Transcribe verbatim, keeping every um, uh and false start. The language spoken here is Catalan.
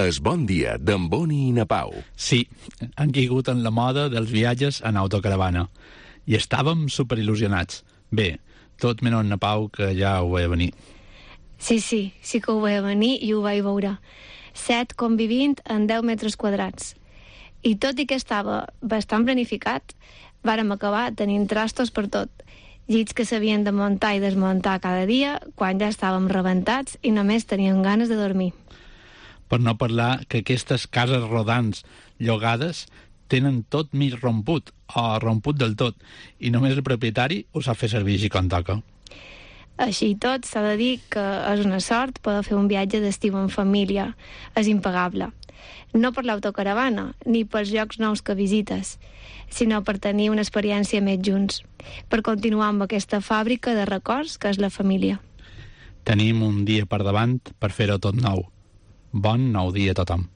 Es bon dia d'en Boni i na Pau. Sí, han caigut en la moda dels viatges en autocaravana. I estàvem superil·lusionats. Bé, tot menys na Pau, que ja ho veia venir. Sí, sí, sí que ho veia venir i ho vaig veure. Set convivint en deu metres quadrats. I tot i que estava bastant planificat, vàrem acabar tenint trastos per tot. Llits que s'havien de muntar i desmuntar cada dia, quan ja estàvem rebentats i només teníem ganes de dormir. Per no parlar que aquestes cases rodants llogades tenen tot mig romput, o romput del tot, i només el propietari ho sap fer servir així com toca. Així i tot, s'ha de dir que és una sort poder fer un viatge d'estiu en família. És impagable. No per l'autocaravana, ni pels llocs nous que visites, sinó per tenir una experiència més junts, per continuar amb aquesta fàbrica de records que és la família. Tenim un dia per davant per fer-ho tot nou. Bon nou dia a tothom.